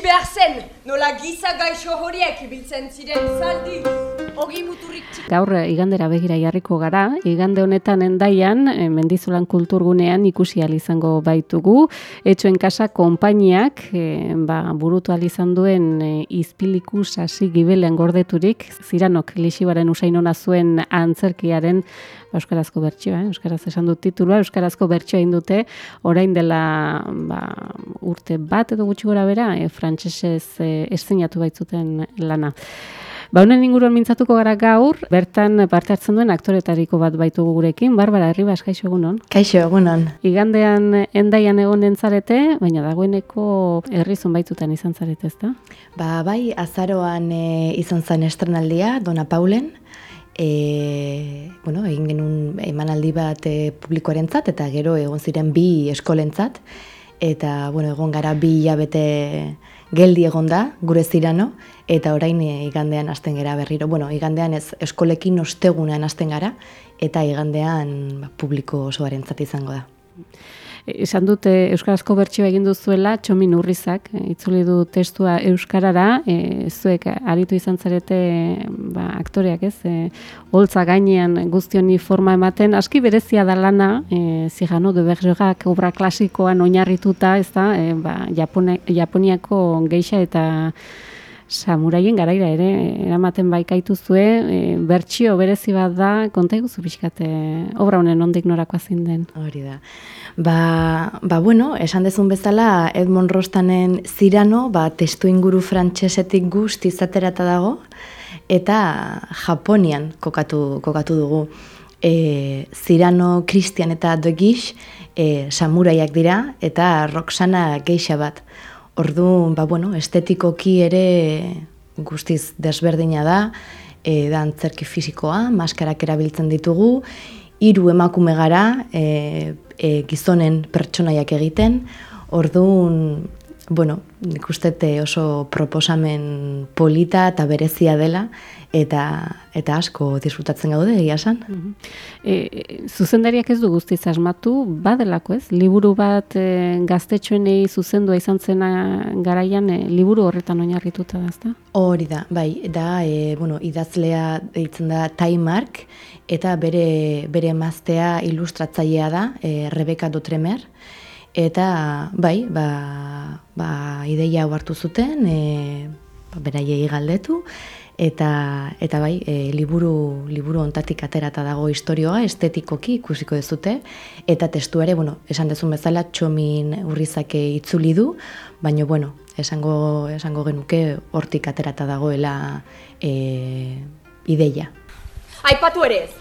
behar zen, nola giza gaixo horiek ibiltzen ziren zaldi. Ogi muturrik txik. Gaur igandera begira jarriko gara, igande honetan Hendaian, Mendizolan kulturgunean ikusi ahal izango baitugu. Etxoen Kasa konpainiak burutu ahal izan duen izpiliku sasi gibelean gordeturik, Ziranok Lixibaren usainona zuen antzerkiaren euskarazko bertsioa, euskaraz esan dut titulua, euskarazko bertsioa egin dute, orain dela urte bat edo gutxi gora bera, frantsesez esteinatu baitzuten lana. Honen inguruan mintzatuko gara gaur, bertan parte hartzen duen aktoretariko bat baitugu gurekin, Barbara Herribas, kaixo egunon. Kaixo egunon. Igandean Hendaian egonen zarete, baina dagoeneko herrizon baitutan izan zarete, ezta? Bai, azaroan izan zen estrenaldia, Dona Paulen, egin genuen emanaldi bat publikoarentzat eta gero egon ziren 2 eskolentzat eta egon gara 2 hilabete geldi egon da gure Zirano eta orain igandean hasten gara berriro. Igandean ez eskolekin ostegunean hasten gara eta igandean publiko osoarentzat izango da. Esan dute euskarazko bertsioa egin duzuela, Txomin Urrizak, itzuli du testua euskarara, zuek aritu izan zarete aktoreak ez, holtza gainean guztioni forma ematen, aski berezia da lana, Cyrano de Bergerac obra klasikoan oinarrituta, ez da, Japoniako geisha eta samuraien garaira ere, eramaten baikaituzue, bertsio berezi bat da, konta iguzu pixkat, obra honen ondik norakoa zein den. Hori da. Esan dezun bezala, Edmond Rostanen Zirano, testu inguru frantsesetik guztiz aterata dago, eta Japonian kokatu dugu. Cyrano, Christian eta De Guiche samuraiak dira, eta Roxana geisha bat. Orduan, estetikoki ere guztiz desberdina da antzerki fisikoa, maskarak erabiltzen ditugu, 3 emakume gara, gizonen pertsonaiak egiten, orduan, nik uste oso proposamen polita eta berezia dela, eta asko disfrutatzen gaude, egia esan. Zuzendariak ez du guztiz asmatu, badelako ez? Liburu bat gaztetxoenei zuzendua izan zena garaian, liburu horretan oinarrituta da, ezta? Hori da, idazlea deitzen da Taimark, eta bere emaztea ilustratzailea da, Rebeka Dotremer, eta ideia hau hartu zuten, beraiei galdetu, eta liburu ontatik aterata dago historioa, estetikoki ikusiko dezute, eta testuare, esan dezun bezala, Txomin Urrizak itzuli du, baina, esango genuke hortik aterata dagoela ideia. Aipatu ere ez,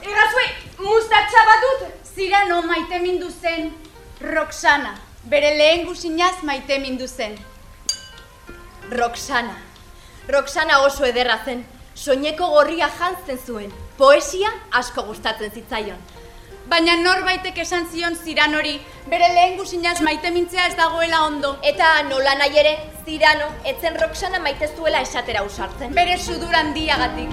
Egazue, mustatxa bat dut? Zirano maite mindu zen Roxana, bere lehen guzinaz maite mindu zen. Roxana oso ederra zen, soineko gorria jantzen zuen, poesia asko gustatzen zitzaion. Baina norbaitek esan zion Ziranori, bere lehen guzinaz maite mintzea ez dagoela ondo. Eta nola nahi ere, Zirano, etzen Roxana maite zuela esatera usartzen. Bere sudur handiagatik.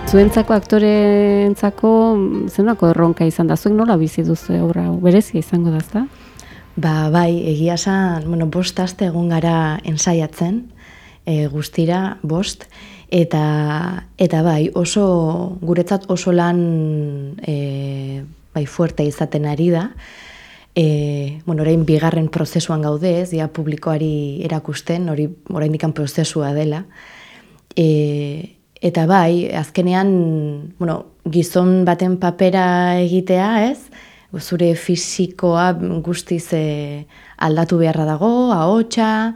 Zuentzako aktoreentzako zenako erronka izan da, zuek nola bizi duzu obra berezia izango da, ezta? Egia esan, 5 aste egon gara ensaiatzen, guztira 5, eta oso, guretzat oso lan fuerte izaten ari da. Orain 2. prozesuan gaude ez, publikoari erakusten, oraindik prozesua dela. Eta azkenean, gizon baten papera egitea ez, zure fisikoa guztiz aldatu beharra dago, ahotsa,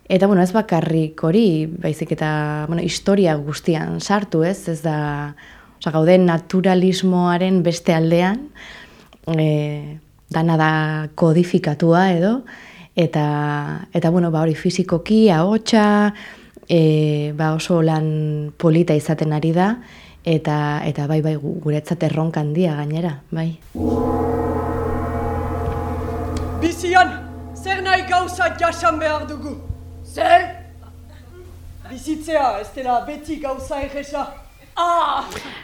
eta ez bakarrik hori, baizik eta historia guztian sartu ez da, gaude naturalismoaren beste aldean, dana da kodifikatua edo, eta hori fisikoki, ahotsa, oso lan polita izaten ari da, eta guretzat erronka handia gainera, bai. Bizian, zer nahi gauza jasan behar dugu? Zer? Bizitzea, ez dela beti gauza egesa.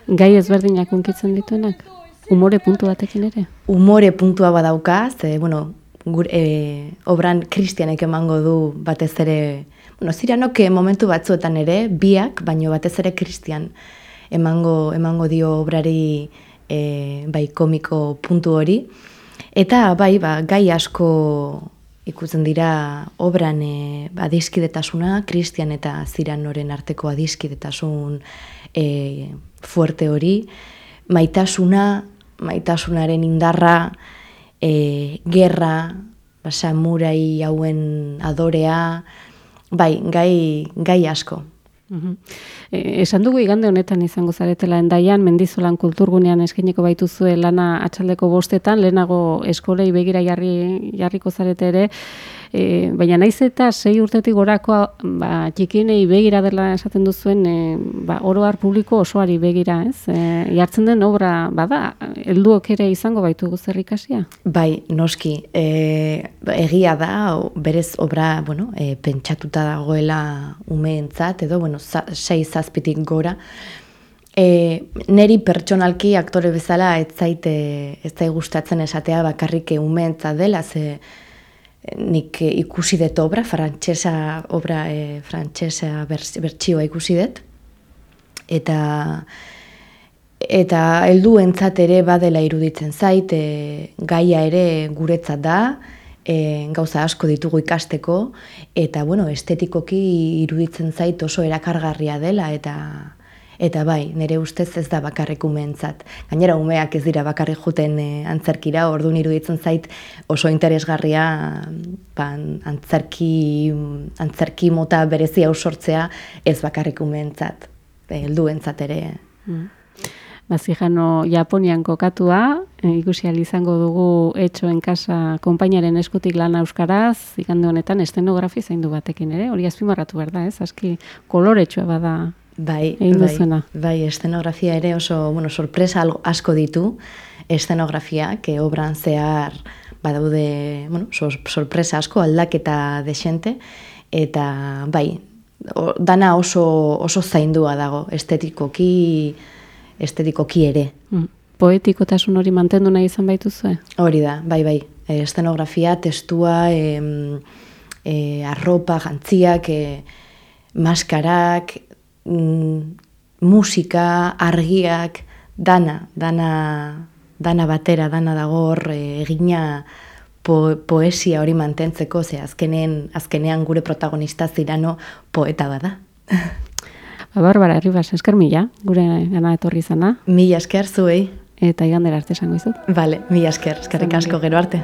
Gai ezberdinak hunkitzen dituenak? Umore puntu batekin ere? Umore puntua badauka, ze, obran Kristianek emango du batez ere, Ziranok momentu batzuetan ere, biak, baino batez ere Kristian emango dio obrari bai komiko puntu hori. Eta bai, gai asko ikusten dira obran adiskidetasuna, Kristian eta Ziranoren arteko adiskidetasun fuerte hori, maitasunaren indarra, gerra, samurai hauen adorea, bai, gai asko. Esan dugu igande honetan izango zaretela Hendaian, Mendizolan kulturgunean eskainiko baituzue lana atxaldeko 5:00, lehenago eskolei begira jarriko zarete ere, baina naiz eta 6 urtetik gorako txikienei begira dela esaten duzuen, oro har publiko osoari begira, ez? Jartzen den obra bada, helduok ere izango baitugu zer ikasia? Bai, noski, egia da, berez obra, pentsatuta dagoela umeentzat, edo, 6-7 gora. Neri pertsonalki aktore bezala ez zait gustatzen esatea bakarrik umeentzat dela, ze nik ikusi dut obra frantsesa bertsioa ikusi dut, eta helduentzat ere badela iruditzen zait, gaia ere guretzat da, gauza asko ditugu ikasteko, eta estetikoki iruditzen zait oso erakargarria dela, eta bai, nire ustez ez da bakarrik umeentzat. Gainera umeak ez dira bakarrik juten antzerkira, orduan iruditzen zait oso interesgarria antzerki mota berezia sortzea ez bakarrik umeentzat, helduentzat ere. Bazijano Japonian kokatua, ikusi ahal izango dugu Etxo en Casa konpainiaren eskutik lana euskaraz, igande honetan estenografia zaindu batekin ere, hori azpimarratu behar da, ez? Aski koloretsua bada. Bai, estenografia ere oso, sorpresa asko ditu, estenografiak, obran zehar badaude, sorpresa asko, aldaketa desente, eta bai, dana oso zaindua dago, estetikoki ere. Poetikotasun hori mantendu nahi izan baituzue? Hori da, bai, estenografia, testua, arropa, jantziak, maskarak, musika, argiak, dana batera, dana dago hor egina poesia hori mantentzeko, ze azkenean gure protagonista Zirano poeta bada. Barbara Arribas, esker mila, gure gana etorri izana. Mila esker zuei. Eta igandera arte esango izut. Vale, mila esker, eskerrik asko, gero arte.